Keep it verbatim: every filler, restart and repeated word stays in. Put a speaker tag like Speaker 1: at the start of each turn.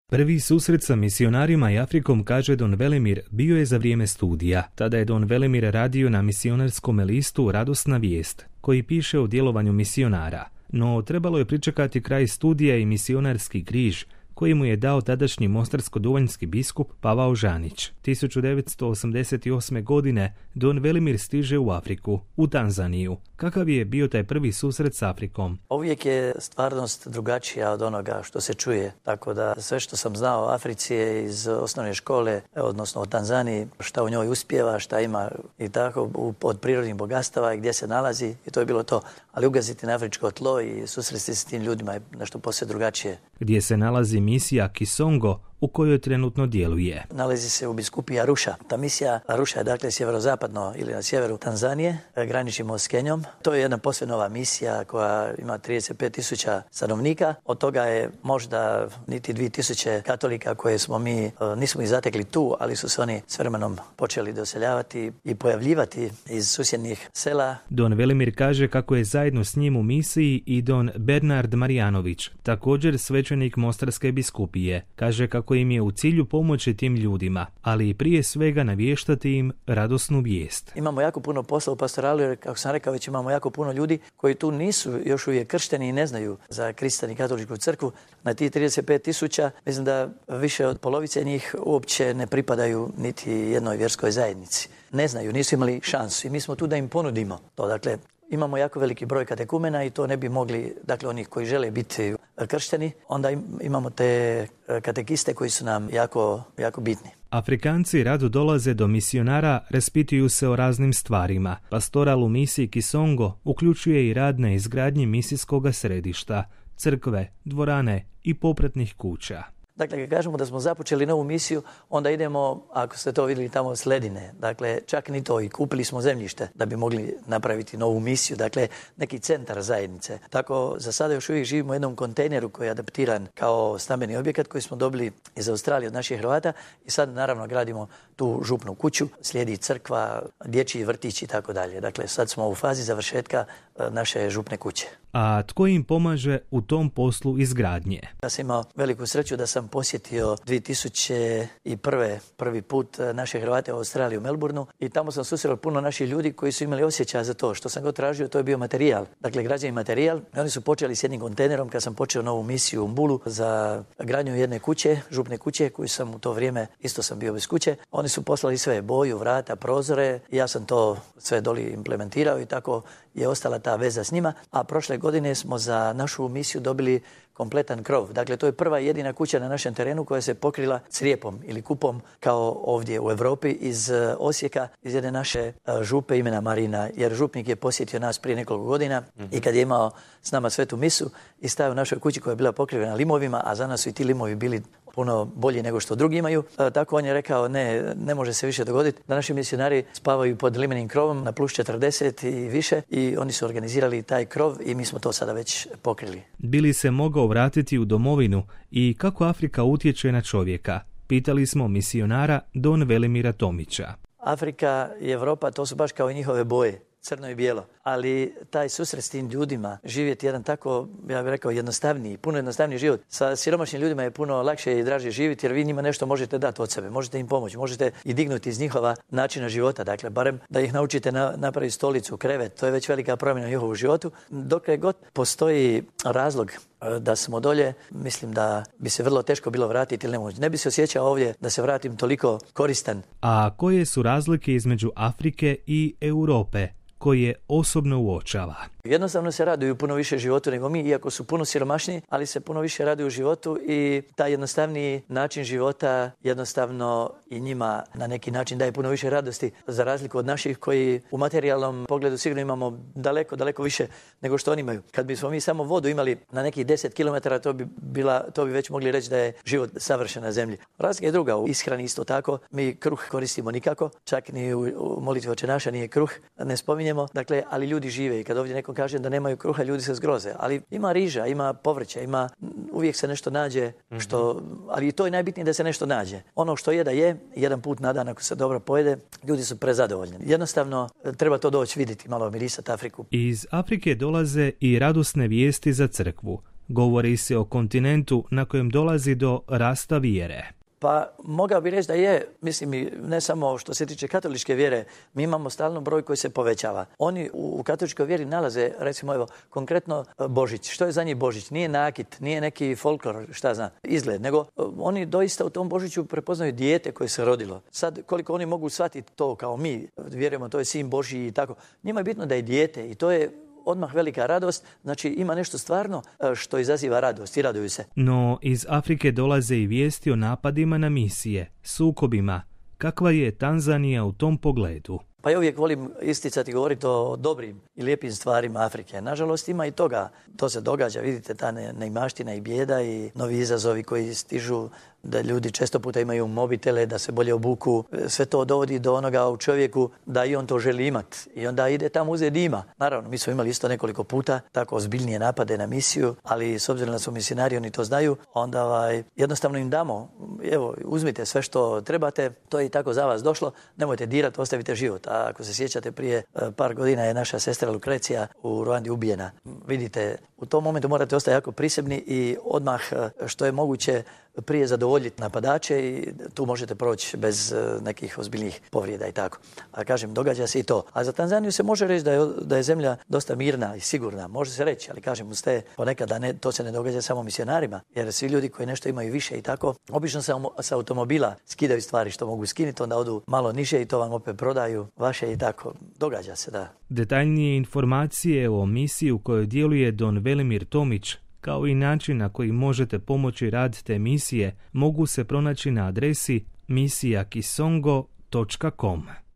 Speaker 1: Prvi susret sa misionarima i Afrikom, kaže Don Velimir, bio je za vrijeme studija. Tada je Don Velimir radio na misionarskom listu Radosna vijest, koji piše o djelovanju misionara. No trebalo je pričekati kraj studija i misionarski križ, koji mu je dao tadašnji mostarsko-duvanjski biskup Pavao Žanić. tisuću devetsto osamdeset osme. godine Don Velimir stiže u Afriku, u Tanzaniju. Kakav je bio taj prvi susret s Afrikom?
Speaker 2: Uvijek je stvarnost drugačija od onoga što se čuje. Tako da sve što sam znao o Africi je iz osnovne škole, odnosno o Tanzaniji, šta u njoj uspijeva, šta ima i tako od prirodnih bogatstava i gdje se nalazi, i to je bilo to. Ali ugaziti na afričko tlo i susresti se s tim ljudima je nešto posve drugačije.
Speaker 1: Gdje se nalazi misija Kisongo, u kojoj trenutno djeluje.
Speaker 2: Nalazi se u biskupiji Aruša. Ta misija Aruša je dakle sjeverozapadno ili na sjeveru Tanzanije, graničimo s Kenjom. To je jedna posve nova misija koja ima trideset pet tisuća stanovnika. Od toga je možda niti dvije tisuće katolika koje smo mi, nismo ih zatekli tu, ali su se oni s vremenom počeli doseljavati i pojavljivati iz susjednih sela.
Speaker 1: Don Velimir kaže kako je zajedno s njim u misiji i Don Bernard Marjanović, također svećenik Mostarske biskupije. Kaže kako im je u cilju pomoći tim ljudima, ali i prije svega navještati im radosnu vijest.
Speaker 2: Imamo jako puno posla u pastoralu, jer kako sam rekao, već imamo jako puno ljudi koji tu nisu još uvijek kršteni i ne znaju za Krista i katoličku crkvu. Na tih trideset pet tisuća, mislim da više od polovice njih uopće ne pripadaju niti jednoj vjerskoj zajednici. Ne znaju, nisu imali šansu i mi smo tu da im ponudimo to. Dakle, imamo jako veliki broj katekumena i to ne bi mogli, dakle onih koji žele biti kršteni, onda imamo te katekiste koji su nam jako, jako bitni.
Speaker 1: Afrikanci rado dolaze do misionara, raspituju se o raznim stvarima. Pastoral u misiji Kisongo uključuje i rad na izgradnji misijskog središta, crkve, dvorane i popratnih kuća.
Speaker 2: Dakle, kad kažemo da smo započeli novu misiju, onda idemo, ako ste to vidjeli, tamo s ledine. Dakle, čak ni to, i kupili smo zemljište da bi mogli napraviti novu misiju. Dakle, neki centar zajednice. Tako, za sada još uvijek živimo u jednom kontejneru koji je adaptiran kao stambeni objekat koji smo dobili iz Australije od naših Hrvata i sad naravno gradimo tu župnu kuću, slijedi crkva, dječji vrtić i tako dalje. Dakle, sad smo u fazi završetka naše župne kuće.
Speaker 1: A tko im pomaže u tom poslu izgradnje?
Speaker 2: Ja sam imao veliku sreću da sam posjetio dvije tisuće prve. prvi put naše Hrvate u Australiji u Melbourneu i tamo sam susreo puno naših ljudi koji su imali osjećaj za to. Što sam god tražio, to je bio materijal. Dakle, građevni materijal. I oni su počeli s jednim kontejnerom kad sam počeo novu misiju u Mbulu za gradnju jedne kuće, župne kuće, koju sam u to vrijeme, isto sam bio bez kuće. Oni su poslali sve, boju, vrata, prozore. Ja sam to sve doli implementirao i tako je ostala ta veza s njima. A prošle godine smo za našu misiju dobili kompletan krov. Dakle, to je prva i jedina kuća na našem terenu koja se pokrila crijepom ili kupom kao ovdje u Europi iz Osijeka, iz jedne naše župe imena Marina, jer župnik je posjetio nas prije nekoliko godina mm-hmm. i kad je imao s nama svetu misu i stavio u našoj kući koja je bila pokrivena limovima, a za nas su i ti limovi bili puno bolji nego što drugi imaju. E, tako on je rekao, ne, ne može se više dogoditi da naši misionari spavaju pod limenim krovom na plus četrdeset i više i oni su organizirali taj krov i mi smo to sada već pokrili.
Speaker 1: Bili se mogao vratiti u domovinu i kako Afrika utječe na čovjeka? Pitali smo misionara Don Velimira Tomića.
Speaker 2: Afrika i Europa, to su baš kao i njihove boje, crno i bijelo. Ali taj susret s tim ljudima, živjeti jedan tako, ja bih rekao, jednostavniji, puno jednostavniji život. Sa siromašnim ljudima je puno lakše i draže živjeti jer vi njima nešto možete dati od sebe, možete im pomoći, možete i dignuti iz njihova načina života. Dakle, barem da ih naučite na, napraviti stolicu, krevet, to je već velika promjena u njihovu životu. Dok je god postoji razlog da smo dolje, mislim da bi se vrlo teško bilo vratiti ili nemoguće. Ne bi se osjećao ovdje da se vratim toliko koristan.
Speaker 1: A koje su razlike između Afrike i Europe koje osobno uočava?
Speaker 2: Jednostavno se raduju puno više životu nego mi, iako su puno siromašniji, ali se puno više raduju životu i taj jednostavniji način života jednostavno i njima na neki način daje puno više radosti, za razliku od naših koji u materijalnom pogledu sigurno imamo daleko, daleko više nego što oni imaju. Kad bismo mi samo vodu imali na nekih deset kilometara, to bi, bila, to bi već mogli reći da je život savršen na zemlji. Razlika je druga, u ishrani isto tako, mi kruh koristimo nikako, čak ni u, u molitvi Oče naša nije kruh, ne spominjemo, dakle, ali ljudi žive i kad ovdje nekom kaže da nemaju kruha, ljudi se zgroze. Ali ima riža, ima povrća, ima, uvijek se nešto nađe, što, ali to je najbitnije da se nešto nađe. Ono što je da je, jedan put na dan ako se dobro pojede, ljudi su prezadovoljni. Jednostavno, treba to doći vidjeti, malo mirisati Afriku.
Speaker 1: Iz Afrike dolaze i radosne vijesti za crkvu. Govori se o kontinentu na kojem dolazi do rasta vjere.
Speaker 2: Pa mogao bih reći da je, mislim i ne samo što se tiče katoličke vjere, mi imamo stalno broj koji se povećava. Oni u, u katoličkoj vjeri nalaze, recimo evo, konkretno Božić. Što je za njih Božić? Nije nakit, nije neki folklor, šta zna, izgled, nego oni doista u tom Božiću prepoznaju dijete koje se rodilo. Sad, koliko oni mogu shvatiti to kao mi, vjerujemo, to je sin Božji i tako. Njima je bitno da je dijete i to je odmah velika radost, znači ima nešto stvarno što izaziva radost i raduju se.
Speaker 1: No iz Afrike dolaze i vijesti o napadima na misije, sukobima. Kakva je Tanzanija u tom pogledu?
Speaker 2: Pa ja uvijek volim isticati i govoriti o dobrim i lijepim stvarima Afrike. Nažalost ima i toga. To se događa, vidite, ta neimaština i bijeda i novi izazovi koji stižu, da ljudi često puta imaju mobitele, da se bolje obuku. Sve to dovodi do onoga u čovjeku da i on to želi imat. I onda ide tamo uzeti ima. Naravno, mi smo imali isto nekoliko puta tako ozbiljnije napade na misiju, ali s obzirom da su misionari, oni to znaju, onda ovaj, jednostavno im damo, evo, uzmite sve što trebate, to je i tako za vas došlo, nemojte dirati, ostavite život. A ako se sjećate, prije par godina je naša sestra Lukrecija u Ruandi ubijena. Vidite, u tom momentu morate ostati jako prisebni i odmah što je moguće prije zadovoljiti napadače i tu možete proći bez nekih ozbiljnih povrijeda i tako. A kažem, događa se i to. A za Tanzaniju se može reći da je, da je zemlja dosta mirna i sigurna. Može se reći, ali kažem, uz te ponekad da ne, to se ne događa samo misionarima, jer svi ljudi koji nešto imaju više i tako, obično sa, sa automobila skidaju stvari što mogu skinuti, onda odu malo niže i to vam opet prodaju vaše i tako. Događa se, da.
Speaker 1: Detaljnije informacije o misiji u kojoj djeluje don Velimir Tomić, kao i način na koji možete pomoći rad te misije, mogu se pronaći na adresi misija kisongo točka com.